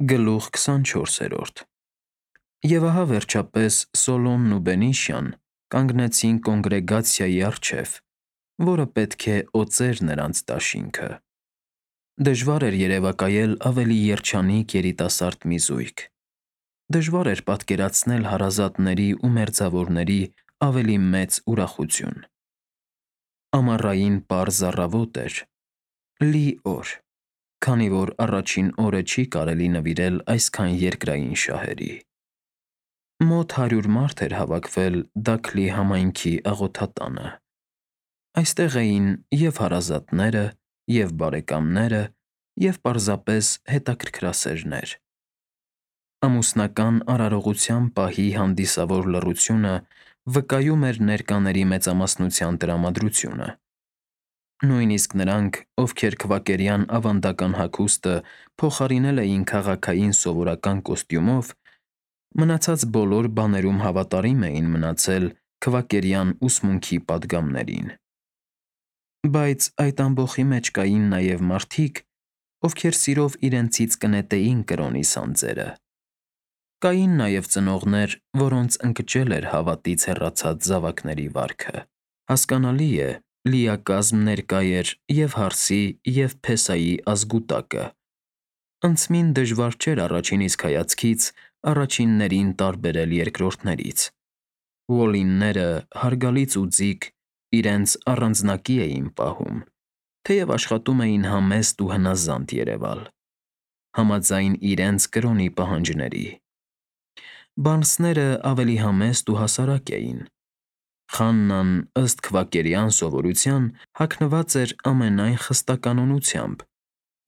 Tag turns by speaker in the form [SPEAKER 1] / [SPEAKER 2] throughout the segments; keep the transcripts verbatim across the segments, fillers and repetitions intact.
[SPEAKER 1] Գլուխ քսանչորսերորդ Եվ ահա վերջապես Սոլոմն ու Բենիշյան կանգնեցին կոնգրեգացիայի առջև, որը պետք է օծեր նրանց դաշինքը. դժվար էր երևակայել ավելի երջանիկ երիտասարդ մի զույգ, դժվար էր պատկերացնել հարազատների ու մերձավորների ավելի մեծ ուրախություն: Ամառային պարզ առավոտ էր, լի օր, քանի որ առաջին օրը չի կարելի նվիրել այսքան երկրային շահերի: Մոտ հարյուր մարդ էր հավաքվել Դաքլի համայնքի աղոթատանը: Այստեղ էին և՛ հարազատները, և՛ բարեկամները, և պարզապես հետաքրքրասերներ: Ամուսնական արարողության պահի հանդիսավոր լռությունը վկայում էր ներկաների մեծամասնության տրամադրությունը: Նույնիսկ նրանք, ովքեր քվակերյան ավանդական հագուստը փոխարինել էին քաղաքային սովորական կոստյումով, մնացած բոլոր բաներում հավատարիմ էին մնացել քվակերյան ուսմունքի պատգամներին: Բայց այդ ամբոխի մեջ կային նաև մարդիկ, ովքեր սիրով իրենցից կնետեին կրոնի սանձերը: Կային նաև ծնողներ, որոնց ընկճել էր հավատից հեռացած զավակների վարքը: Հասկանալի է, լիակազմ ներկա էր և՛ հարսի, և՛ փեսայի ազգուտակը: Անցմին դժվար չէր առաջին իսկ հայացքից առաջիններին տարբերել երկրորդներից: Ուոլլինները, հարգալից ու ձիգ, իրենց առանձնակի էին պահում, թեև աշխատում էին համեստ ու հնազանդ երևալ, համաձայն իրենց կրոնի պահանջների: Բարնսները ավելի համեստ ու հասարակ էին: Խաննան, ըստ քվակերյան սովորության, հագնված էր ամենայն խստականոնությամբ,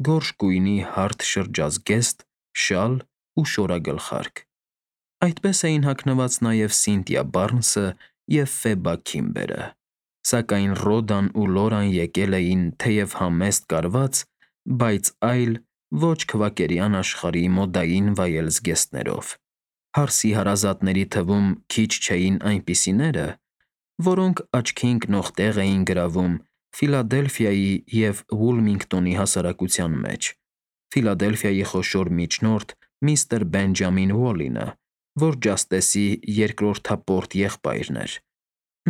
[SPEAKER 1] գորշ գույնի հարթ շրջազգեստ, շալ ու շորագլխարկ: Այդպես էին հագնված նաև Սինթիա Բարնսը և Ֆեբա Քիմբերը: Սակայն Ռոդան ու Լորան եկել էին թեև համեստ կարված, բայց այլ, ոչ քվակերյան աշխարհի մոդային վայել զգեստներով: Հարսի հարազատների թվում քիչ չէին այնպիսիները, որոնք աչքի ընկնող տեղ էին գրավում Ֆիլադելֆիայի և Վուլմինգտոնի հասարակության մեջ: Ֆիլադելֆիայի խոշոր միջնորդ միստր Բենջամին Ուոլլինը, որ Ջաստեսի երկրորդապորտ եղբայրն էր,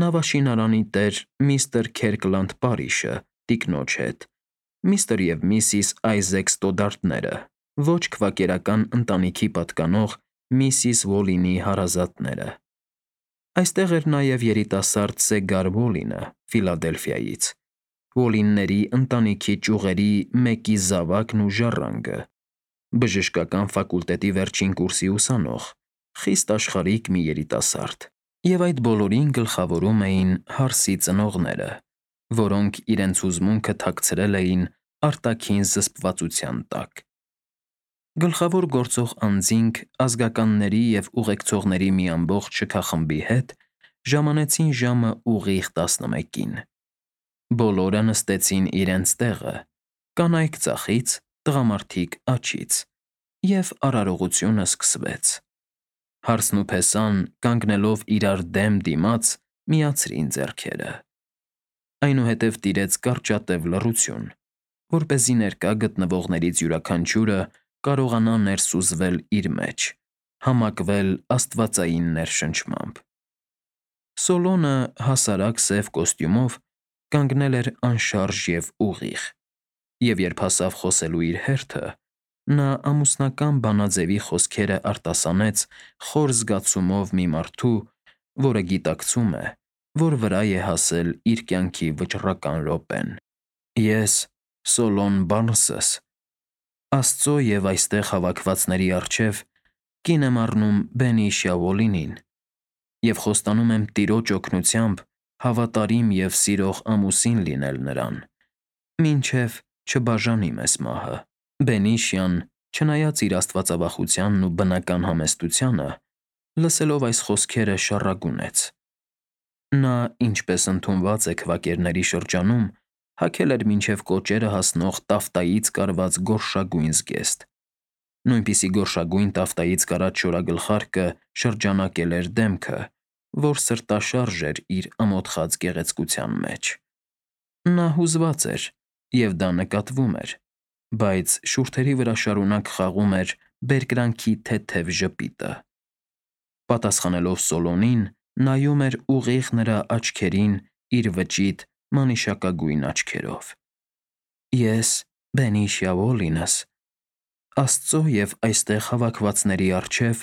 [SPEAKER 1] նավաշինարանի տեր միստր Քերկլանդ Պարիշը, տիկնոջ հետ, միստր և միսիս Այզեք Ստոդարտները, ոչ քվակերական ընտանիքի պատկանող միսիս Ուոլլինի հարազատները: Այստեղ էր նաև երիտասարդ Սեգար Ուոլլինը Ֆիլադելֆիայից, Ուոլլինների ընտանիքի ճյուղերի մեկի զավակն ու ժառանգը, բժշկական ֆակուլտետի վերջին կուրսի ուսանող, խիստ աշխարհիկ մի երիտասարդ: Եվ այդ բոլորին գլխավորում էին հարսի ծնողները, որոնք իրենց հուզմունքը թաքցրել էին արտաքին զսպվածության տակ: Գլխավոր գործող անձինք ազգականների և ուղեկցողների մի ամբողջ շքախմբի հետ ժամանեցին ժամը ուղիղ տասնմեկին: Բոլորը նստեցին իրենց տեղը, կանայք ձախից, տղամարդիկ աջից, և արարողությունը սկսվեց: Հարսն ու փեսան, կանգնելով իրար դեմ դիմաց, միացրին ձեռքերը: Այնուհետև տիրեց կարճատև լռություն, որպեսզի ներկա գտնվողներից յուրաքանչյուրը կարողանա ներսուզվել իր մեջ, համակվել աստվածային ներշնչմամբ: Սոլոմոնը հասարակ սև կոստյումով կանգնել էր անշարժ և ուղիղ, և երբ հասավ խոսելու իր հերթը, նա ամուսնական բանաձևի խոսքերը արտասանեց խոր զգացումով մի մարդու, որը գիտակցում է, որ վրա է հասել իր կյանքի վճռական րոպեն: Ես, Սոլոմոն Բարնսս, Աստծո և այստեղ հավաքվածների առջև կին եմ առնում Բենիշիա Ուոլլինին և խոստանում եմ Տիրոջ օգնությամբ հավատարիմ և սիրող ամուսին լինել նրան, մինչև չբաժանի մեզ մահը: Բենիշյան, չնայած իր աստվածավախությանն ու բնական համեստությանը, լսելով այս խոսքերը շառագունեց: Նա, ինչպես ընդունված է քվակերների շրջանում, հագել էր մինչև կոճերը հասնող տաֆտայից կարված գորշագույն զգեստ: Նույնպիսի գորշագույն տաֆտայից կարած շորագլխարկը շրջանակել էր դեմքը, որ սրտաշարժ էր իր ամոթխած գեղեցկության մեջ: Նա հուզված էր, և դա նկատվում էր, բայց շուրթերի վրա շարունակ խաղում էր բերկրանքի թեթև ժպիտը։ Պատասխանելով Սոլոնին, նայում էր ուղիղ նրա աչքերին իր վճիտ մանիշակագույն աչքերով։ Ես Բենիշիա Ուոլինս, Աստծո և այստեղ հավաքվածների առջև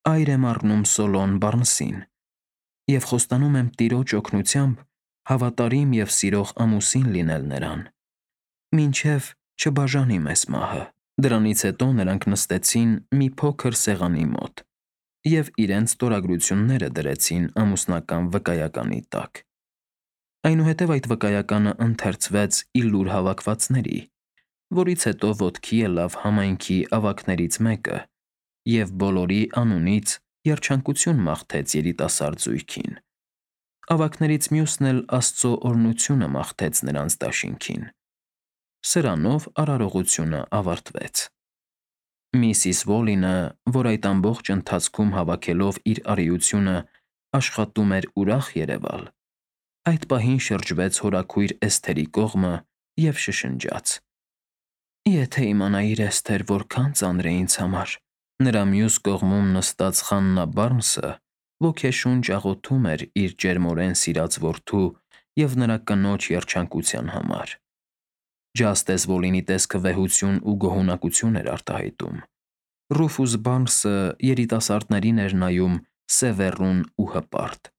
[SPEAKER 1] այր եմ առնում Սոլոն Բարնսին և խոստանում եմ Տիրոջ օգնությամբ հավատարիմ և սիրող ամուսին լինել նրան, մինչև չբաժանի մեզ մահը։ Դրանից հետո նրանք նստեցին մի փոքր սեղանի մոտ և իրենց ստորագրությունները դրեցին ամուսնական վկայականի տակ։ Այնուհետև այդ վկայականը ընթերցվեց ի լուր հավաքվածների, որից հետո ոտքի ելավ համայնքի ավագներից մեկը և բոլորի անունից երջանկություն մաղթեց երիտասարդ զույգին։ Ավագներից մյուսն էլ Աստծո օրհնությունը մաղթեց նրանց դաշինքին։ Սրանով արարողությունը ավարտվեց։ Միսիս Ուոլինը, որ այդ ամբողջ ընթացքում հավաքելով իր արիությունը աշխատում էր ուրախ երևալ, այդ պահին շրջվեց հորաքույր Էսթերի կողմը և շշնջաց. «Եթե իմանայիր, Էսթեր, որքան ծանր է ինձ համար»։ Նրա մյուս կողմում նստած Խաննա Բարնսը ոգեշունչ աղոթում էր իր ջերմորեն սիրած որդու և նրա կնոջ երջանկության համար։ Ջաստես Ուոլինի տեսքը վեհություն ու գոհունակություն էր արտահայտում։ Ռուֆուս Բարնսը երիտասարդներին էր նայում սևեռուն ու հպարտ։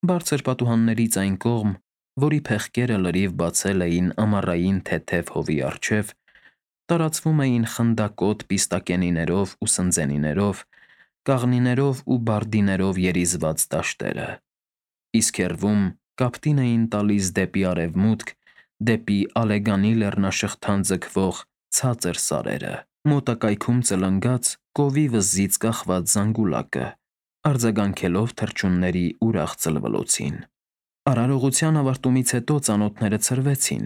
[SPEAKER 1] Բարձր պատուհաններից այն կողմ, որի փեղկերը լրիվ բացել էին ամառային թեթև հովի առջև, տարածվում էին խնդակոտ պիստակենիներով ու սնձենիներով, կաղնիներով ու բարդիներով երիզված դաշտերը, իսկ հեռվում կապտին էին տալիս դեպի արևմուտք, դեպի Ալեգանի լեռնաշղթան ձգվող ցածր սարերը։ Մոտակայքում ծլնգաց կովի վզից կախված զանգուլակը, արձագանքելով թռչունների ուրախ ծլվլոցին։ Արարողության ավարտումից հետո ծանոթները ցրվեցին,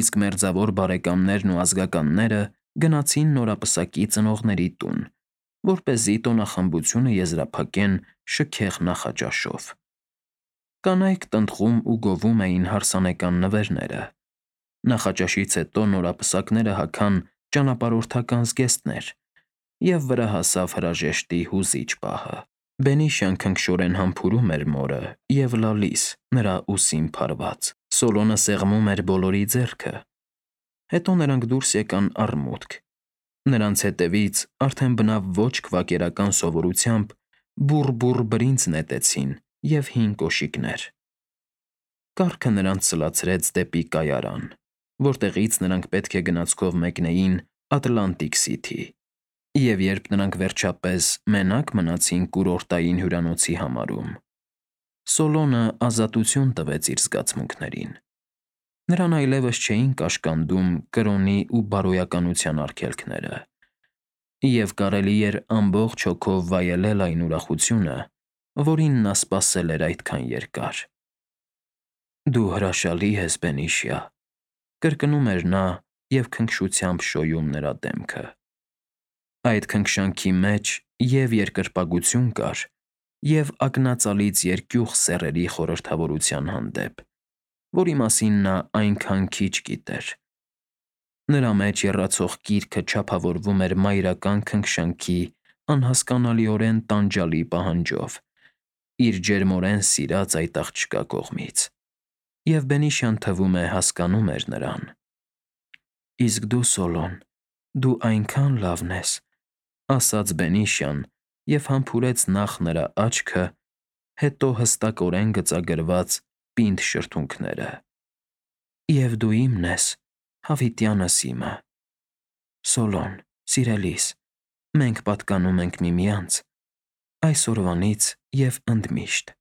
[SPEAKER 1] իսկ մերձավոր բարեկամներն ու ազգականները գնացին նորապսակի ծնողների տուն, որպեսզի տոնախմբությունը եզրափակեն շքեղ նախաճաշով։ Կանայք տնտղում ու գովում էին հարսանեկան նվերները։ Նախաճաշից հետո նորապսակները հագան ճանապարհորդական զգեստներ, և վրա հասավ հրաժեշտի հուզիչ պահը։ Բենիշիան քնքշորեն համբուրում էր մորը և լալիս, նրա ուսին փարված։ Սոլոնը սեղմում էր բոլորի ձեռքը։ Հետո նրանք դուրս եկան առմուտք։ Նրանց հետևից, արդեն բնավ ոչ քվակերական սովորությամբ, բուռ-բուռ բրինձ նետեցին և հին կոշիկներ։ Կառքը նրանց սլացրեց դեպի կայարան, որտեղից նրանք պետք է գնացքով մեկնեին Ատլանտիկ Սիթի, և երբ նրանք վերջապես մենակ մնացին կուրորտային հյուրանոցի համարում, Սոլոնը ազատություն տվեց իր զգացմունքներին։ Նրան այլևս չէին կաշկանդում կրոնի ու բարոյականության արգելքները, և կարելի էր ամբողջ հոգով վայելել այն ուրախությունը, որին նա սպասել էր այդքան երկար։ «Դու հրաշալի ես, Բենիշիա», կրկնում էր նա և քնքշությամբ շոյում նրա դեմքը։ Այդ քնքշանքի մեջ և՛ երկրպագություն կար, և՛ ակնածալից երկյուղ սեռերի խորհրդավորության հանդեպ, որի մասին նա այնքան քիչ գիտեր։ Նրա մեջ եռացող կիրքը չափավորվում էր մայրական քնքշանքի անհասկանալիորեն տանջալի պահանջով իր ջերմորեն սիրած այդ աղջկա կողմից, և Բենիշիան, թվում է, հասկանում էր նրան։ «Իսկ դու, Սոլոն, դու այնքան լավն ես», ասաց Բենիշիան և համբուրեց նախ նրա աչքը, հետո հստակորեն գծագրված պինդ շրթունքները։ «Եվ դու իմն ես, հավիտյանս իմը։ Սոլոն, սիրելիս, մենք պատկանում ենք միմյանց այսօրվանից և ընդմիշտ»։